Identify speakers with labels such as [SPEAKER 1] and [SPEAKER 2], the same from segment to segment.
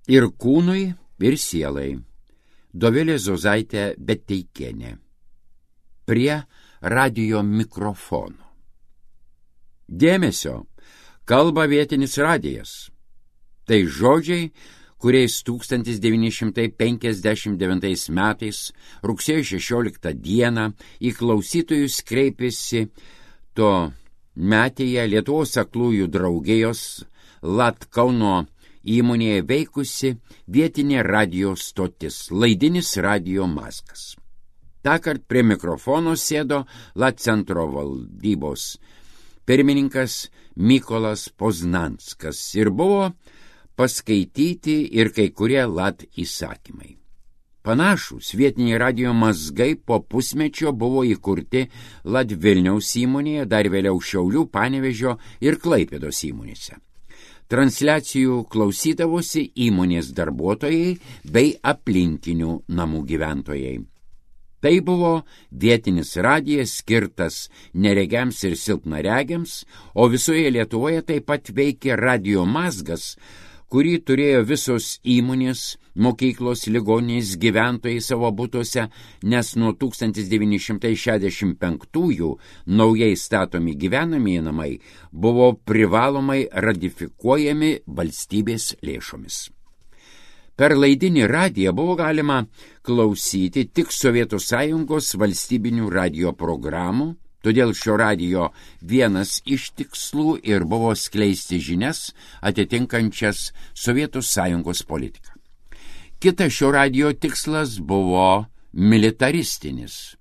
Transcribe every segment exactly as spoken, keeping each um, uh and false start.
[SPEAKER 1] Ir kūnui, ir sielai. Dovilė Zozaitė Beteikienė. Prie radijo mikrofono. Dėmesio, kalba vietinis radijas. Tai žodžiai, kuriais tūkstantis devyni šimtai penkiasdešimt devintais metais rugsėjo šešioliktą dieną į klausytojus kreipėsi to metėje Lietuvos aklųjų draugijos Lat Kauno įmonėje veikusi vietinė radio stotis, laidinis radio Mazgas. Tąkart prie mikrofono sėdo Lat centro valdybos pirmininkas Mykolas Poznanskas ir buvo paskaityti ir kai kurie Lat įsakymai. Panašūs vietiniai radio mazgai po pusmečio buvo įkurti Lat Vilniaus įmonėje, dar vėliau Šiaulių, Panevėžio ir Klaipėdos įmonėse. Transliacijų klausydavosi įmonės darbuotojai bei aplinkinių namų gyventojai. Tai buvo vietinis radijas skirtas neregiams ir silpnaregiams, o visoje Lietuvoje taip pat veikė radio Mazgas, kurį turėjo visos įmonės, mokyklos, ligoninės, gyventojai savo butuose, nes nuo tūkstantis devyni šimtai šešiasdešimt penktųjų naujai statomi gyvenamieji namai buvo privalomai ratifikuojami valstybės lėšomis. Per laidinį radiją buvo galima klausyti tik Sovietų Sąjungos valstybinių radio programų, todėl šio radijo vienas iš tikslų ir buvo skleisti žinias atitinkančias Sovietų Sąjungos politiką. Kitas šio radijo tikslas buvo militaristinis.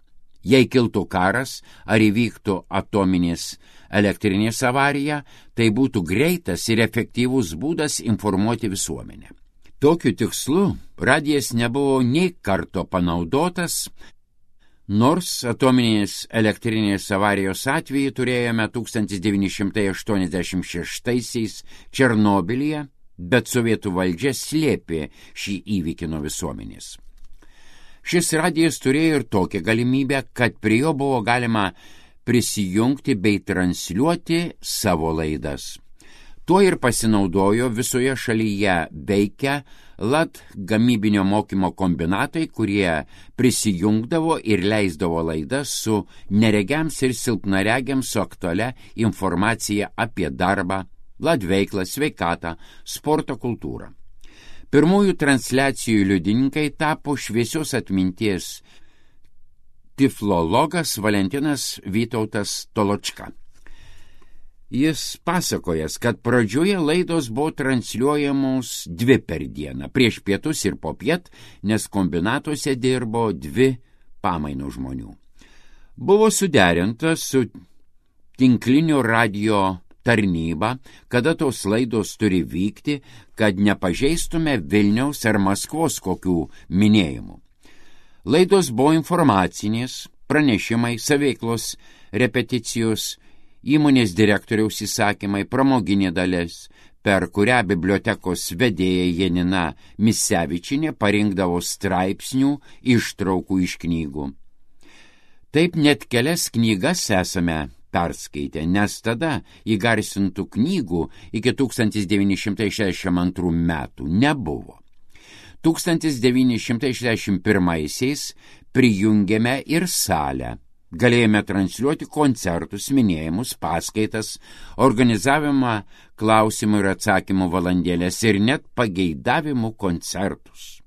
[SPEAKER 1] Jei kiltų karas ar įvyktų atominės elektrinės avarija, tai būtų greitas ir efektyvus būdas informuoti visuomenę. Tokiu tikslu radijas nebuvo nei karto panaudotas, nors atominės elektrinės avarijos atveju turėjome tūkstantis devyni šimtai aštuoniasdešimt šeštaisiais Černobylyje, bet sovietų valdžia slėpė šį įvykį nuo visuomenės. Šis radijas turėjo ir tokią galimybę, kad prie jo buvo galima prisijungti bei transliuoti savo laidas. Tuo ir pasinaudojo visoje šalyje veikę Lat gamybinio mokymo kombinatai, kurie prisijungdavo ir leisdavo laidas su neregiams ir silpnaregiams su aktualia informacija apie darbą, Lat veiklą, sveikatą, sporto kultūrą. Pirmųjų transliacijų liudininkai tapo šviesios atminties tiflologas Valentinas Vytautas Toločka. Jis pasakojas, kad pradžioje laidos buvo transliuojamos dvi per dieną, prieš pietus ir popiet, nes kombinatuose dirbo dvi pamainų žmonių. Buvo suderinta su tinklinio radio tarnyba, kada tos laidos turi vykti, kad nepažeistume Vilniaus ar Maskvos kokių minėjimų. Laidos buvo informacinės, pranešimai, saveiklos, repeticijos, įmonės direktoriaus įsakymai, pramoginė dalis, per kurią bibliotekos vedėja Janina Misevičienė parinkdavo straipsnių ištraukų iš knygų. Taip net kelias knygas esame perskaitę, nes tada įgarsintų knygų iki tūkstantis devyni šimtai šešiasdešimt antrų metų nebuvo. tūkstantis devyni šimtai šešiasdešimt pirmaisiais prijungėme ir salę. Galėjome transliuoti koncertus, minėjimus, paskaitas, organizavimą klausimų ir atsakymų valandėlės ir net pageidavimų koncertus.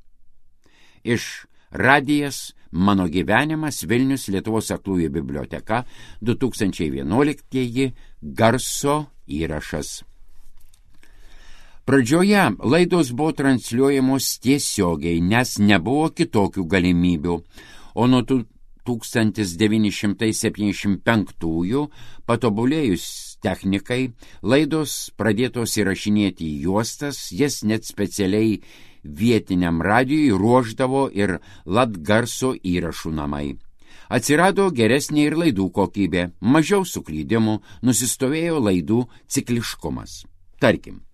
[SPEAKER 1] Iš radijas Mano gyvenimas Vilnius Lietuvos aklųjų biblioteka du tūkstančiai vienuoliktieji garso įrašas. Pradžioje laidos buvo transliuojamos tiesiogiai, nes nebuvo kitokių galimybių, o nuo tūkstantis devyni šimtai septyniasdešimt penktųjų patobulėjus technikai, laidos pradėtos įrašinėti į juostas, jas net specialiai vietiniam radijui ruošdavo ir Latgarso įrašų namai. Atsirado geresnė ir laidų kokybė, mažiau suklydimų, nusistovėjo laidų cikliškumas. Tarkim,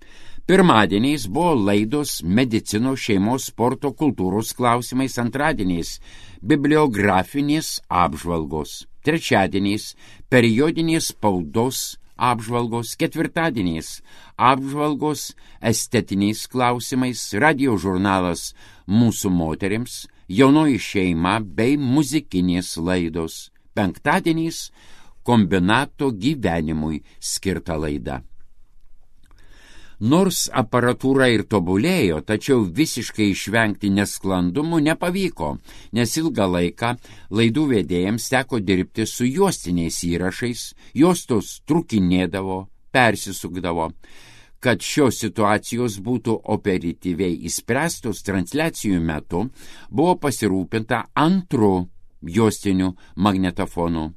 [SPEAKER 1] pirmadieniais buvo laidos medicinos, šeimos, sporto, kultūros klausimais, antradieniais bibliografinės apžvalgos, trečiadieniais periodinės spaudos apžvalgos, ketvirtadieniais apžvalgos estetiniais klausimais, radio žurnalas Mūsų moterims, Jaunoji šeima bei muzikinės laidos. Penktadieniais kombinato gyvenimui skirta laida. Nors aparatūra ir tobulėjo, tačiau visiškai išvengti nesklandumų nepavyko, nes ilgą laiką laidų vedėjams teko dirbti su juostiniais įrašais, juostos trukinėdavo, persisukdavo. Kad šios situacijos būtų operatyviai įspręstos transliacijų metu, buvo pasirūpinta antru juostiniu magnetofonu.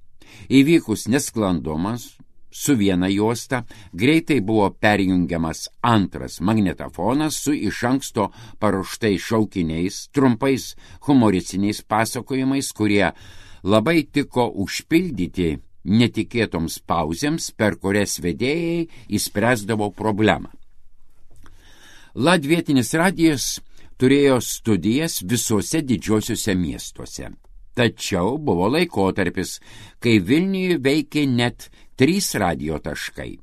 [SPEAKER 1] Įvykus nesklandumas, su viena juosta greitai buvo perjungiamas antras magnetofonas su iš anksto paruoštais šaukiniais, trumpais humoristiniais pasakojimais, kurie labai tiko užpildyti netikėtoms pauzėms, per kurias vedėjai įspręsdavo problemą. Latvietinis radijas turėjo studijas visuose didžiosiuose miestuose. Tačiau buvo laikotarpis, kai Vilniuje veikė net trys radijo taškai.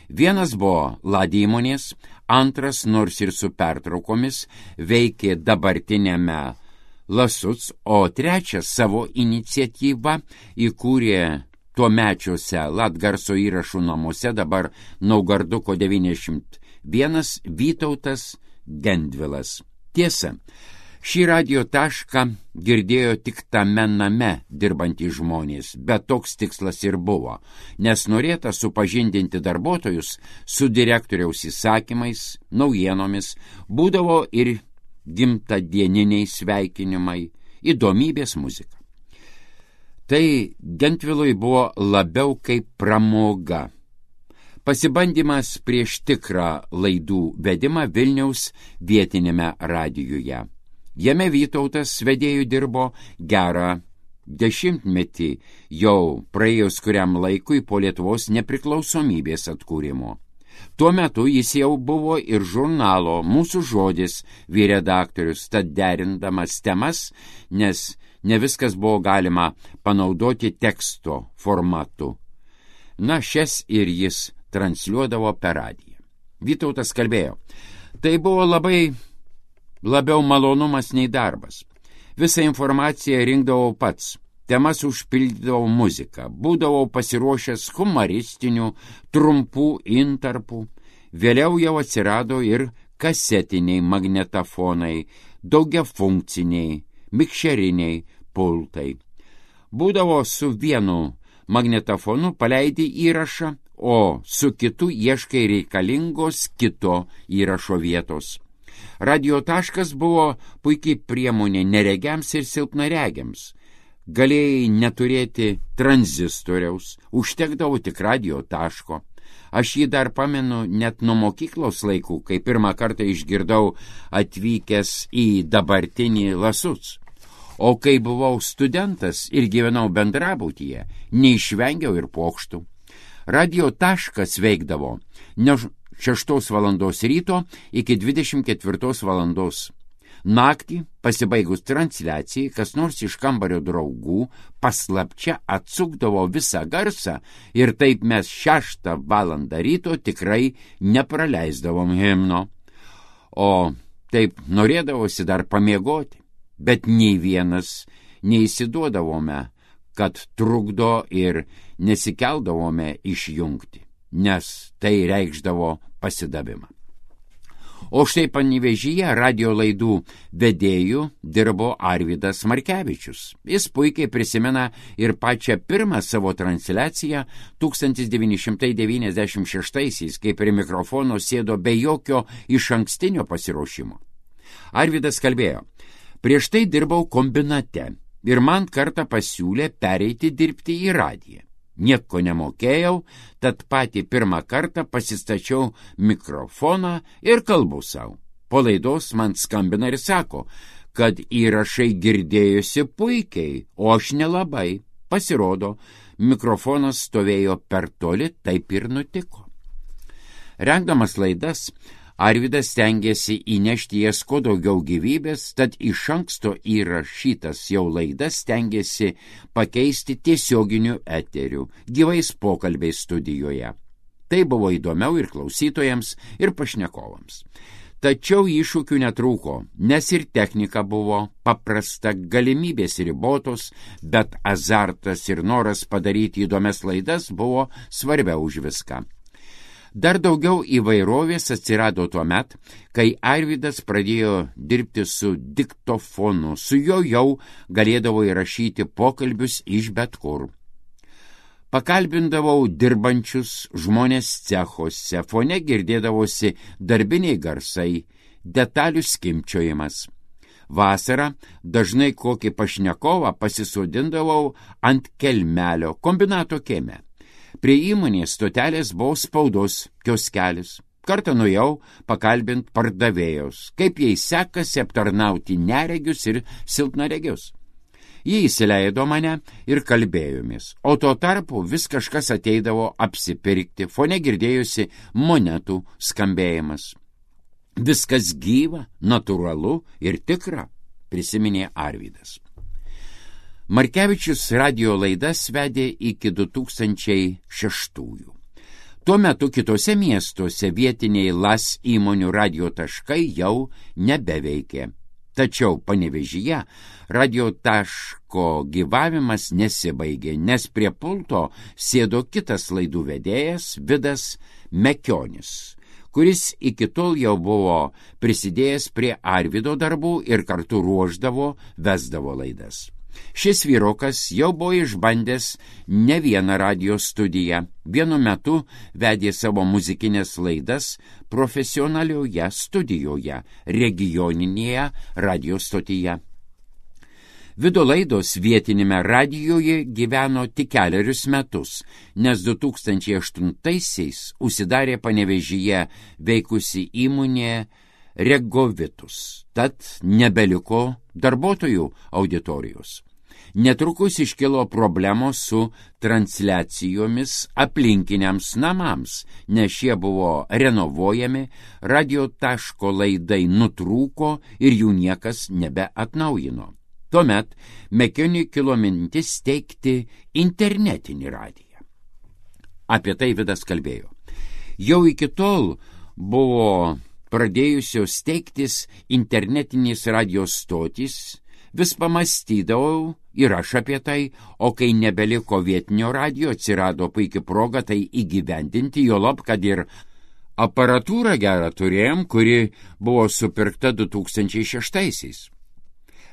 [SPEAKER 1] Vienas buvo Ladi įmonės, antras, nors ir su pertraukomis, veikė dabartinėme Lasuc, o trečias savo iniciatyvą įkūrė tuomečiuose Latgarso įrašų namuose, dabar Naugarduko devyniasdešimt vienas, Vytautas Gendvilas. Tiesa, šį radio tašką girdėjo tik tame name dirbantys žmonės, bet toks tikslas ir buvo, nes norėta supažindinti darbuotojus su direktoriaus įsakymais, naujienomis, būdavo ir gimtadieniniai sveikinimai, įdomybės muzika. Tai Gentvilui buvo labiau kaip pramoga. Pasibandymas prieš tikrą laidų vedimą Vilniaus vietinėme radijuje. Jame Vytautas vedėjų dirbo gerą dešimtmetį, jau praėjus kuriam laikui po Lietuvos nepriklausomybės atkūrimo. Tuo metu jis jau buvo ir žurnalo Mūsų žodis vyredaktorius, tad derindamas temas, nes ne viskas buvo galima panaudoti teksto formatu. Na, šias ir jis transliuodavo per radiją. Vytautas kalbėjo, tai buvo labai labiau malonumas nei darbas. Visą informaciją rinkdavau pats, temas užpildydavau muziką, būdavau pasiruošęs humoristinių, trumpų intarpų, vėliau jau atsirado ir kasetiniai magnetofonai, daugiafunkciniai, mikšeriniai pultai. Būdavo su vienu magnetofonu paleidi įrašą, o su kitu ieškai reikalingos kito įrašo vietos. Radio taškas buvo puikiai priemonė neregiams ir silpnaregiams. Galėjai neturėti tranzistoriaus, užtekdavo tik radio taško. Aš jį dar pamenu net nuo mokyklos laikų, kai pirmą kartą išgirdau atvykęs į dabartinį Lasuc. O kai buvau studentas ir gyvenau bendrabutyje, neišvengiau ir pokštų. Radio taškas veikdavo nuo šeštos valandos ryto iki dvidešimt ketvirtos valandos. Naktį, pasibaigus transliacijai, kas nors iš kambario draugų paslapčia atsukdavo visą garsą ir taip mes šeštą valandą ryto tikrai nepraleisdavom himno. O taip norėdavosi dar pamiegoti, bet nei vienas neįsiduodavome, kad trukdo ir nesikeldavome išjungti, nes tai reikšdavo pasidavimą. O štai Panevėžyje radio laidų vedėjų dirbo Arvydas Markevičius. Jis puikiai prisimena ir pačią pirmą savo transliaciją tūkstantis devyni šimtai devyniasdešimt šeštaisiais, kai prie mikrofono sėdo be jokio išankstinio pasiruošimo. Arvydas kalbėjo, prieš tai dirbau kombinate ir man kartą pasiūlė pereiti dirbti į radiją. Nieko nemokėjau, tad patį pirmą kartą pasistačiau mikrofoną ir kalbu savo. Po laidos man skambina ir sako, kad įrašai girdėjosi puikiai, o aš nelabai. Pasirodo, mikrofonas stovėjo per toli, taip ir nutiko. Rengdamas laidas, Arvydas stengėsi įnešti jas kuo daugiau gyvybės, tad iš anksto įrašytas jau laidas stengėsi pakeisti tiesioginiu eteriu, gyvais pokalbiais studijoje. Tai buvo įdomiau ir klausytojams, ir pašnekovams. Tačiau iššūkių netrūko, nes ir technika buvo paprasta, galimybės ribotos, bet azartas ir noras padaryti įdomias laidas buvo svarbiau už viską. Dar daugiau įvairovės atsirado tuo met, kai Arvydas pradėjo dirbti su diktofonu, su juo jau galėdavo įrašyti pokalbius iš bet kur. Pakalbindavau dirbančius žmonės cechuose, fone girdėdavosi darbiniai garsai, detalių skimpčiojimas. Vasarą dažnai kokį pašnekovą pasisodindavau ant kelmelio kombinato kieme. Prie įmonės stotelės buvo spaudos kioskelis. Kartą nuėjau pakalbint pardavėjus, kaip jai sekasi aptarnauti neregius ir silpnaregius. Jie įsileido mane ir kalbėjomės, o tuo tarpu vis kažkas ateidavo apsipirkti, fone girdėjusi monetų skambėjimas. Viskas gyva, natūralu ir tikra, prisiminė Arvydas. Markevičius radijo laidas vedė iki du tūkstančiai šeštųjų. Tuo metu kitose miestuose vietiniai Las įmonių radijo taškai jau nebeveikė. Tačiau Panevėžyje radio taško gyvavimas nesibaigė, nes prie pulto sėdo kitas laidų vedėjas Vidas Mekionis, kuris iki tol jau buvo prisidėjęs prie Arvydo darbų ir kartu ruošdavo, vesdavo laidas. Šis vyrukas jau buvo išbandęs ne vieną radio studiją. Vienu metu vedė savo muzikinės laidas profesionalioje studijoje, regioninėje radio stotyje. Vido laidos vietinėme radijoje gyveno tik kelerius metus, nes du tūkstančiai aštuntaisiais užsidarė Panevėžyje veikusi įmonė Regovitus, tad nebeliko darbuotojų auditorijos. Netrukus iškilo problemos su transliacijomis aplinkiniams namams, nes šie buvo renovuojami, radio taško laidai nutrūko ir jų niekas nebeatnaujino. Tuomet Mekioniui kilo mintis steigti internetinį radiją. Apie tai Vidas kalbėjo. Jau iki tol buvo pradėjusios steigtis internetinės radijos stotys, vis pamastydavau ir aš apie tai, o kai nebeliko vietinio radijo, atsirado puikia proga tai įgyvendinti, juolab, kad ir aparatūrą gerą turėjom, kuri buvo supirkta du tūkstančiai šeštaisiais.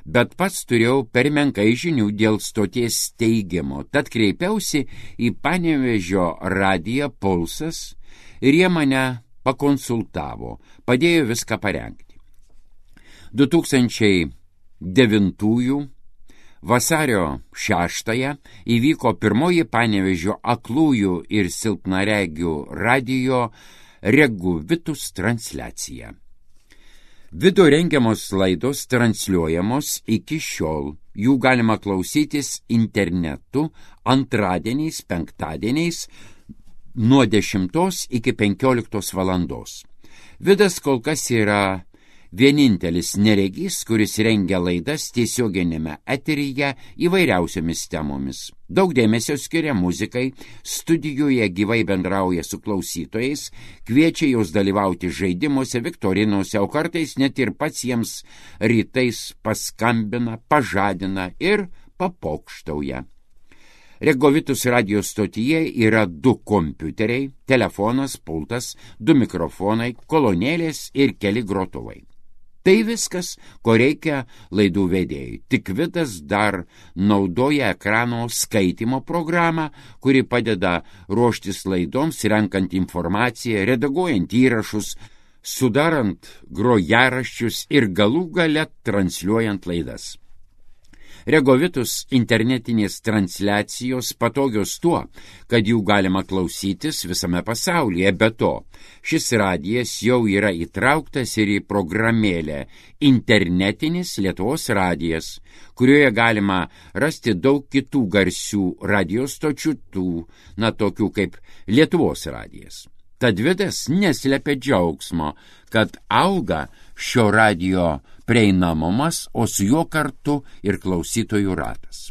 [SPEAKER 1] Bet pats turėjau per menkai žinių dėl stoties steigimo, tad kreipiausi į Panevėžio radiją Pulsas ir jie mane pakonsultavo, padėjo viską parengti. du tūkstančiai devintųjų vasario šeštąją įvyko pirmoji Panevėžio aklųjų ir silpnaregių radijo Regovitus transliacija. Vido rengiamos laidos transliuojamos iki šiol. Jų galima klausytis internetu antradieniais, penktadieniais nuo dešimtos iki penkioliktos valandos. Vidas kol kas yra vienintelis neregys, kuris rengia laidas tiesioginėme eteryje įvairiausiomis temomis. Daug dėmesio skiria muzikai, studijoje gyvai bendrauja su klausytojais, kviečia juos dalyvauti žaidimuose, viktorinuose, o kartais net ir pats jiems rytais paskambina, pažadina ir papokštauja. Regovitus radio stotyje yra du kompiuteriai, telefonas, pultas, du mikrofonai, kolonėlės ir keli grotuvai. Tai viskas, ko reikia laidų vedėjai. Tik Vidas dar naudoja ekrano skaitymo programą, kuri padeda ruoštis laidoms, renkant informaciją, redaguojant įrašus, sudarant grojaraščius ir galų gale transliuojant laidas. Regovitus internetinės transliacijos patogios tuo, kad jų galima klausytis visame pasaulyje. Be to, šis radijas jau yra įtrauktas ir į programėlę Internetinis Lietuvos radijas, kurioje galima rasti daug kitų garsių radijos stočių, tų, na, tokių kaip Lietuvos radijas. Tad Vidas neslepia džiaugsmo, kad auga šio radijo prieinamumas, o su juo kartu ir klausytojų ratas.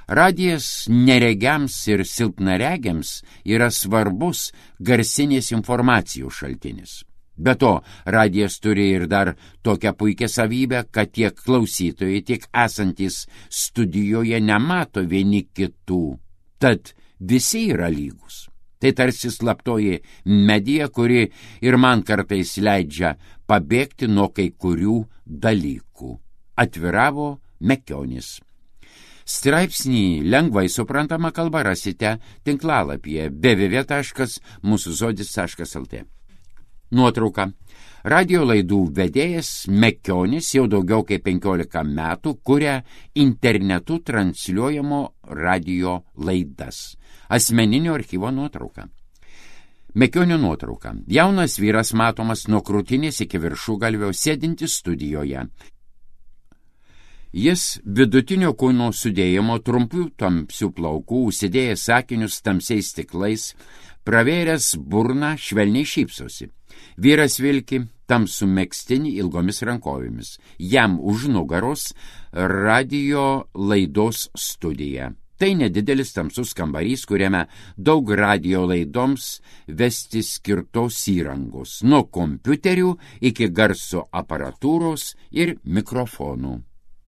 [SPEAKER 1] Radijas neregiams ir silpnaregiams yra svarbus garsinės informacijos šaltinis. Be to, radijas turi ir dar tokią puikią savybę, kad tiek klausytojai, tiek esantys studijoje nemato vieni kitų, tad visi yra lygus. Tai tarsi slaptoji medija, kuri ir man kartais leidžia pabėgti nuo kai kurių dalykų. Atviravo Mekionis. Straipsnį lengvai suprantama kalba rasite tinklalapyje w w w taškas mūsų žodis taškas l t. Nuotrauka. Radio laidų vedėjas Mekionis jau daugiau kaip penkiolika metų kuria internetu transliuojamo radio laidas. Asmeninio archyvo nuotrauka. Mekionio nuotrauka. Jaunas vyras matomas nuo krūtinės iki viršugalvio sėdintis studijoje. Jis vidutinio kūno sudėjimo, trumpių tamsių plaukų, užsidėjęs sakinius tamsiais stiklais, pravėręs burną, švelniai šypsosi. Vyras vilki tamsų megztinį ilgomis rankovėmis. Jam už nugaros radio laidos studija. Tai nedidelis tamsus kambarys, kuriame daug radio laidoms vesti skirtos įrangos, nuo kompiuterių iki garso aparatūros ir mikrofonų.